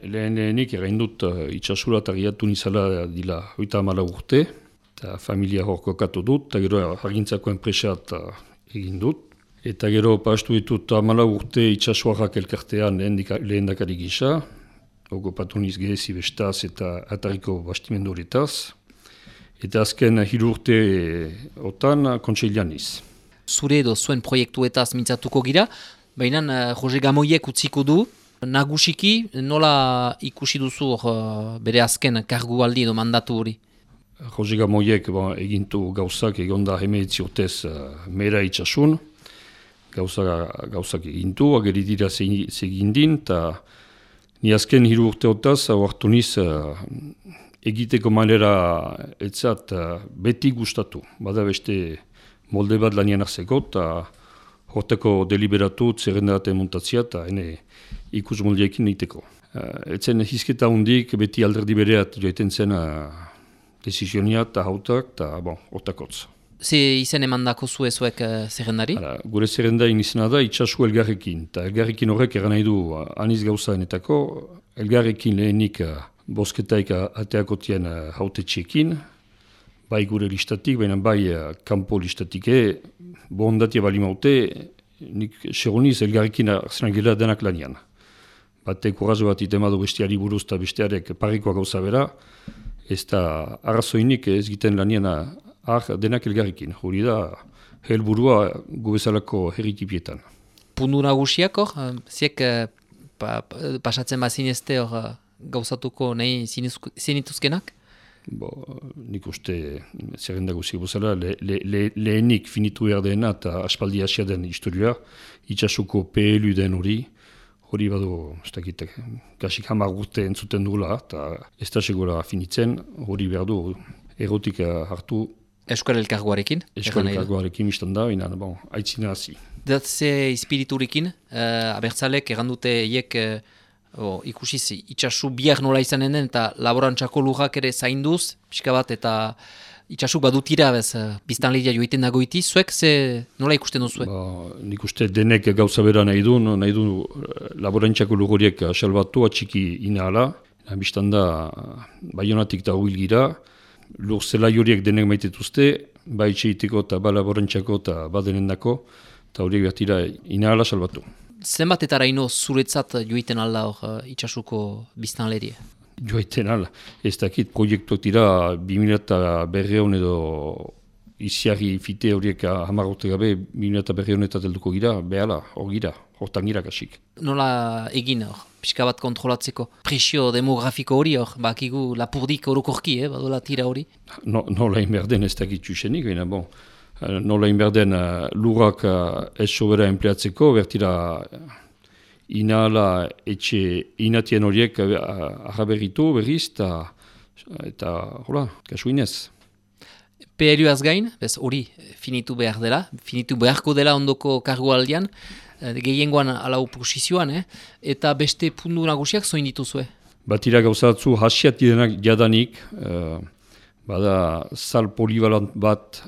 lehenik egin dut itxasura eta giatu nizala dila 34 urte, eta familia hor kokatu dut, eta gero agintzako enpresat egin dut. Eta gero pastu ditut 14 urte itxasuarrak elkartean lehendakari gisa, okupatu niz gehezi bestaz eta atariko bastimendu horretaz. Eta azken 3 urte otan kontseilan niz. Zure edo zuen proiektuetaz mintzatuko gira, baina Jose Gamoiek utziko du. Nagusiki nola ikusi duzu bere azken kargualdi edo mandatu hori? Jose Gamoiek egintu gauzak egonda 19 urtez mera itxasun. Gauzak egintu, ageri dira zegindin, eta ni azken 3 urteotaz hartu niz egiteko manera etzat beti gustatu. Bada beste molde bat lanian arzeko, eta horteko deliberatu zerrendate montatzia, eta hene ikus moldiekin egiteko. Etzen hizketa hundik beti alderdi bereat joiten zen desizionia eta hautak, eta hortakotz. Ze izen emandako zuek zerrendari? Gure zerrendain izena da itxasu elgarrekin, eta elgarrekin horrek eran nahi du aniz gauzaenetako, elgarrekin lehenik bosketaik ateakotien hautetxekin, bai gure listatik, baina bai kanpo listatik bondatia bali maute, nik segoniz elgarrekin arzenan gela denak lanian. Batek urrazo bat itemadu besteari buruz eta bestearek parikoa gauza bera, ez da arrazoinik ez giten lanian denak elgarrekin. Hori da helburua gubezalako herritipietan. Pundu nagusiak hor, ziek pasatzen bazinezte hor gauzatuko nahi zinituzkenak? Nik uste zerrenda guzik bozala lehenik finitu erdena eta aspaldi hasia den historioa, itxasuko PLU den hori badu, ez dakit, kasik 10 urte entzuten dugula, eta ez da segura finitzen, hori behar du erotik hartu. Euskal Elkargoarekin? Euskal Elkargoarekin izan da, aitzina hazi. Datze ispiriturekin, abertzalek errandute eiek ikusiz itxasu biak nola izanen den eta laborantzako lujak ere zainduz, pixka bat eta itxasuk badutira biztanleria joiten dagoiti, zuek nola ikusten duzuek? Nik uste denek gauza bera nahi du laborantzako lujoriek salbatu atxiki inahala, biztan da Baionatik da huil gira, lur zelai horiek denek maitetuzte, ba itxeiteko eta ba laborantzako eta ba denendako, eta horiek bertira inahala salbatu. Zenbatetara ino zuretzat joiten alda hor itxasuko biztanleria? Joiten alda. Ez dakit proiektuak dira 2000 edo iziarri fite horiek 10 urte gabe 2000 helduko gira, behala, hor gira, hortan gira kasik. Nola egin hor, pixka bat kontrolatzeko? Presio demografiko hori hor, bakigu lapurdik orokorki, badola tira hori? Nola inberden ez dakit txusenik, baina nola inberden lurrak ez sobera empleatzeko, bertira inahala etxe inatien horiek arraberritu berriz, eta hola, kasuinez. PLUaz gain, hori finitu behar dela, finitu beharko dela ondoko kargualdian, gehiengoan alau posizioan, eta beste puntu nagusiak zoin dituzue? Batira gauzatzu hasiat direnak jadanik, bada sal polivalant bat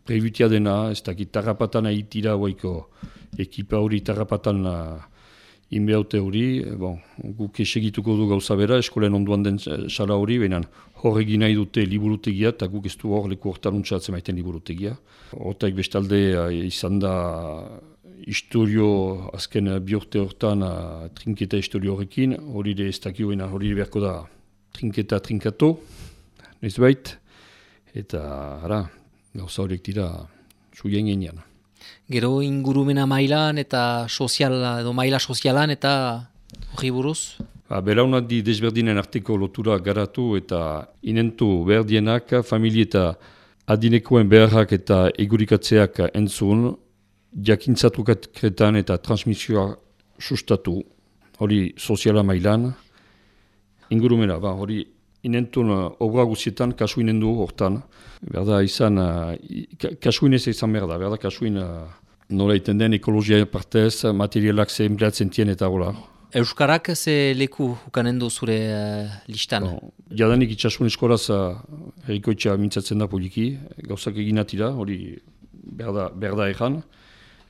prebutia dena, ez dakit tarrapatan ahitira hoiko ekipa hori tarrapatan inbehaute hori, guk esegituko du gauza bera, eskolen onduan den sala hori, behinan hor egin nahi dute liburutegia, eta guk ez du hor leku hortaruntzatzen maiten liburutegia. Hortaik bestalde izan da historio azken biurte hortan trinketa historio horrekin, hori ez dakio hori beharko da trinketa trinkato, ez bait, eta gauza horiek dira suien genian. Gero ingurumena mailan eta maila sozialan eta hori buruz? Belaunaldi desberdinen arteko lotura garatu eta inentu berdienak, familie eta adinekoen beharrak eta egurikatzeak entzun, jakintzatruketan eta transmisioa sustatu, hori soziala mailan, ingurumena, hori inentun obra guzietan kasuinen du hortan. Berda izan, kasuinez izan berda, kasuin nola iten den ekologia partez, materialak ze empleatzen tien eta hola. Euskarak ze leku ukanen du zure listan? Jadanik itxasun eskoraz herrikoitza mintzatzen da poliki, gauzak eginatira, hori berda ezan,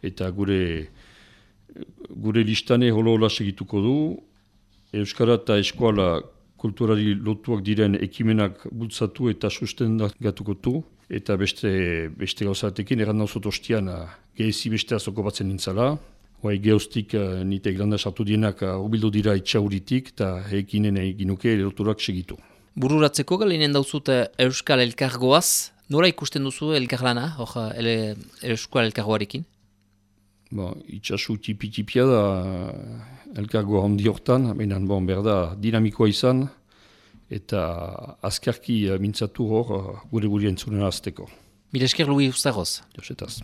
eta gure listane holo segituko du, Euskara eta eskuala kulturari lotuak diren ekimenak bultzatu eta sustengatuko du. Eta beste gauzatekin, erran nauzot ostian, gehezi bestea zoko batzen nintzala. Geoztik nitek landa sartu dienak urbildu dira itxauritik eta ekinen eginuke loturak segitu. Bururatzeko galinen dauzut Euskal Elkargoaz, nora ikusten duzu elkarlana, Euskal Elkargoarekin? Itxasu tipi-tipia da elkargoa handi hortan, baina berda dinamikoa izan, eta azkarki mintzatu hor gure entzunen azteko. Mila esker Luis Ustaroz. Josetaz.